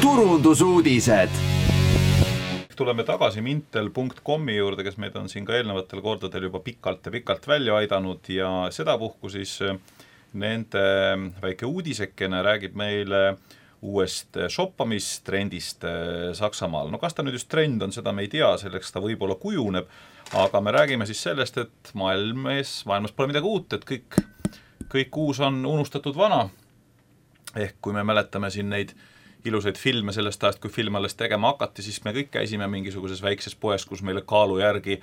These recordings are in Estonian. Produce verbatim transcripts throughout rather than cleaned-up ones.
turundusuudised. Tuleme tagasi mintel punkt com juurde, kes meid on siin ka eelnevatel kordadel juba pikalt ja pikalt välja aidanud ja sedapuhku siis nende väike uudisekene räägib meile uuest shoppamistrendist Saksamaal. No kas ta nüüd just trend on, seda me ei tea, selleks ta võib-olla kujuneb, aga me räägime siis sellest, et maailmas, maailmas pole midagi uut, et kõik, kõik uus on unustatud vana. Ehk kui me mäletame siin neid ilusaid filme sellest ajast, kui film alles tegema hakati, siis me kõik käisime mingisuguses väikses poes, kus meile kaalu järgi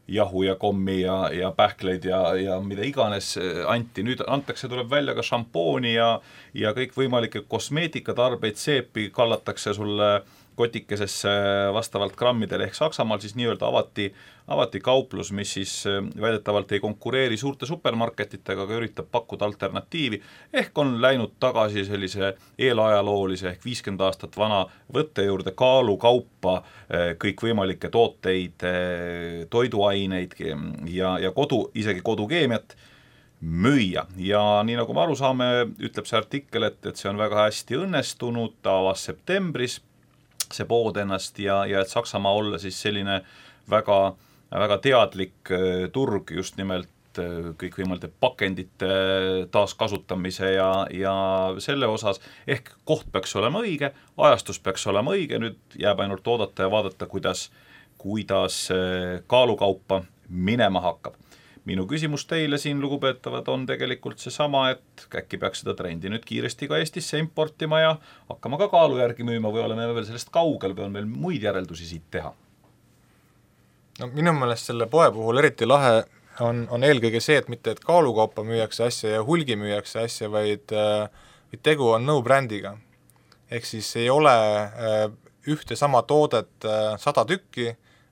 jahu ja kommi ja, ja pähkleid ja, ja mida iganes anti. Nüüd antakse, tuleb välja ka šampooni ja, ja kõik võimalikke kosmeetikatarbeid, seepi kallatakse sulle kotikesesse vastavalt grammidele ehk Saksamaal siis nii-öelda avati, avati kauplus, mis siis väidetavalt ei konkureeri suurte supermarketitega, aga üritab pakkuda alternatiivi, ehk on läinud tagasi sellise eelajaloolise ehk viiskümmend aastat vana võtte juurde kaalu kaupa kõikvõimalikke tooteid, toiduaineid ja, ja kodu, isegi kodukeemiat müüa. Ja nii nagu me aru saame, ütleb see artikkel, et, et see on väga hästi õnnestunud, ta avas septembris see pood ennast ja, ja et Saksamaa olla siis selline väga, väga teadlik turg just nimelt kõikvõimalike pakendite taaskasutamise ja, ja selle osas, ehk koht peaks olema õige, ajastus peaks olema õige, nüüd jääb ainult oodata ja vaadata, kuidas, kuidas kaalukaupa minema hakkab. Minu küsimus teile siin, lugupeetavad, on tegelikult see sama, et äkki peaks seda trendi nüüd kiiresti ka Eestisse importima ja hakkama ka kaalu järgi müüma või oleme veel sellest kaugel või on meil muid järeldusi siit teha? No, minu meelest selle poe puhul eriti lahe on, on eelkõige see, et mitte et kaalukaupa müüakse asja ja hulgi müüakse asja, vaid, vaid tegu on no-brändiga. Ehk siis ei ole ühte sama toodet sada tükki,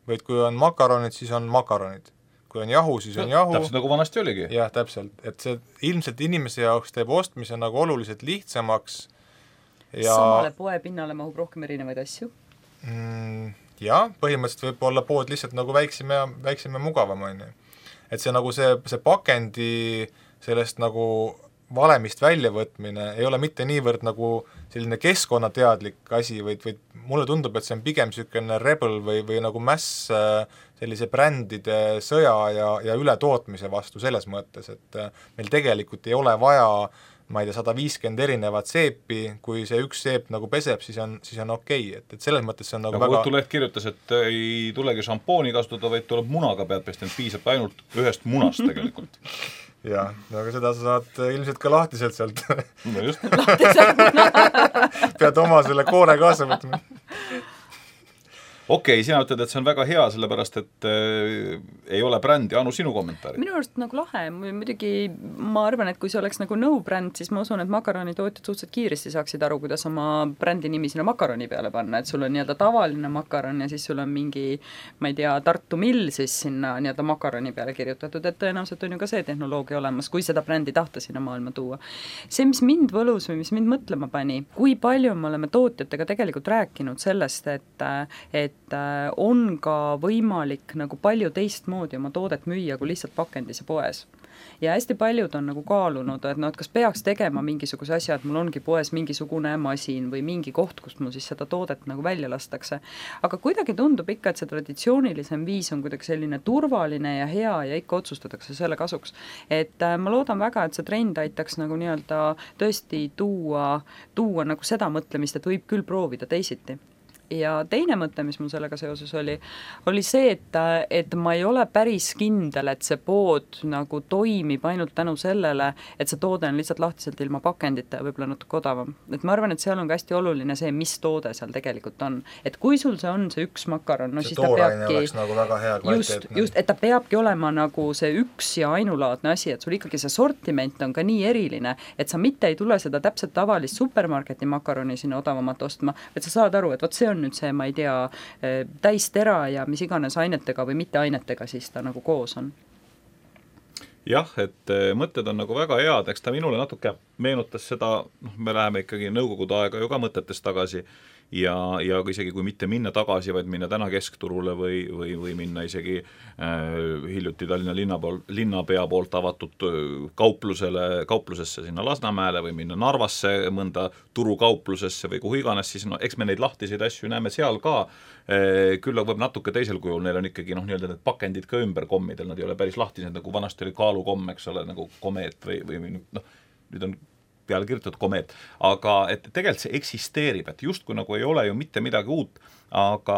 vaid kui on makaronid, siis on makaronid. Kui on jahu, siis on jahu. Täpselt nagu vanasti oligi. Jah, täpselt. Et see ilmselt inimese jaoks teeb ostmise nagu oluliselt lihtsamaks. Ja samale poe pinnale mahub rohkem erinevaid asju? Mm, jah, põhimõtteliselt võib olla pood lihtsalt nagu väiksem ja, väiksem ja mugavam. On. Et see nagu see, see pakendi sellest nagu valemist väljavõtmine ei ole mitte niivõrd nagu selline keskkonnateadlik asi, vaid, vaid mulle tundub, et see on pigem selline rebel või, või nagu mäss sellise brändide sõja ja, ja ületootmise vastu selles mõttes, et meil tegelikult ei ole vaja, ma ei tea, sada viiskümmend erinevat seepi, kui see üks seep nagu peseb, siis on, siis on okei, et, et selles mõttes see on nagu, nagu väga... Õhtuleht kirjutas, et ei tulegi šampooni kasutada, vaid tuleb munaga pead pesta, piisab ainult ühest munast tegelikult. Jah, aga seda sa saad ilmselt ka lahtiselt sealt. No just. Pead oma selle koore kaasa võtma. Okei, okay, sina ütled, et see on väga hea, sellepärast, et äh, ei ole brändi. Anu, sinu kommentaari? Minu arust nagu lahe. Muidugi ma arvan, et kui see oleks nagu no-bränd, siis ma usun, et makaronitootjad suhteliselt kiiresti saaksid aru, kuidas oma brändi nimi sinna makaroni peale panna. Et sul on nii-öelda tavaline makaron ja siis sul on mingi, ma ei tea, Tartu Mill siis sinna nii-öelda makaroni peale kirjutatud. Et tõenäoliselt on ju ka see tehnoloogia olemas, kui seda brändi tahta sinna maailma tuua. See, mis mind võlus või mis mind mõtlema pani, kui palju me oleme tootjatega tegelikult rääkinud sellest, et, et on ka võimalik nagu palju teistmoodi oma toodet müüa kui lihtsalt pakendis ja poes. Ja hästi paljud on nagu kaalunud, et no, et kas peaks tegema mingisuguse asja, et mul ongi poes mingisugune masin või mingi koht, kust mul siis seda toodet nagu välja lastakse. Aga kuidagi tundub ikka, et see traditsioonilisem viis on kuidagi selline turvaline ja hea ja ikka otsustatakse selle kasuks. Et äh, ma loodan väga, et see trend aitaks nagu nii-öelda tõesti tuua, tuua nagu seda mõtlemist, et võib küll proovida teisiti. Ja teine mõte, mis mul sellega seoses oli, oli see, et, et ma ei ole päris kindel, et see pood nagu toimib ainult tänu sellele, et see toode on lihtsalt lahtiselt ilma pakendita ja võib-olla natuke odavam. Et ma arvan, et seal on ka hästi oluline see, mis toode seal tegelikult on. Et kui sul see on see üks makaron, no see siis ta peabki... Nagu väga hea just, just, et ta peabki olema nagu see üks ja ainulaadne asi, et sul ikkagi see sortiment on ka nii eriline, et sa mitte ei tule seda täpselt tavalist supermarketi makaroni sinna odavamat ostma, et sa saad aru, et võt see on nüüd see, ma ei tea, täistera ja mis iganes ainetega või mitte ainetega siis ta nagu koos on. Jah, et mõtted on nagu väga head, eks ta minule natuke meenutas seda, noh, me läheme ikkagi nõukogude aega ju ka mõtetes tagasi ja, ja isegi kui mitte minna tagasi, vaid minna täna keskturule või, või, või minna isegi äh, hiljuti Tallinna linna pool, linnapea poolt avatud kauplusele, kauplusesse sinna Lasnamäele või minna Narvasse mõnda turukauplusesse või kuhu iganes, siis no eks me neid lahtiseid asju näeme seal ka, küll võib natuke teisel kujul, neil on ikkagi noh, nii-öelda need pakendid ka ümber kommidel, nad ei ole päris lahtised, nagu vanasti oli kaalukomm, eks ole, nagu komeet või, või noh, nüüd on peale kirjutatud komeet, aga et tegelikult see eksisteerib, et justkui nagu ei ole ju mitte midagi uut, aga,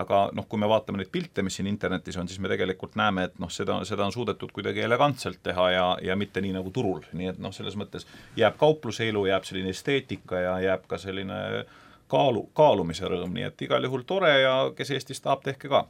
aga noh, kui me vaatame neid pilte, mis siin internetis on, siis me tegelikult näeme, et noh, seda, seda on suudetud kuidagi elegantselt teha ja, ja mitte nii nagu turul, nii et noh, selles mõttes jääb kaupluse elu, jääb selline esteetika ja jääb ka selline kaalu, kaalumise rõõm, nii et igal juhul tore ja kes Eestis tahab, tehke ka.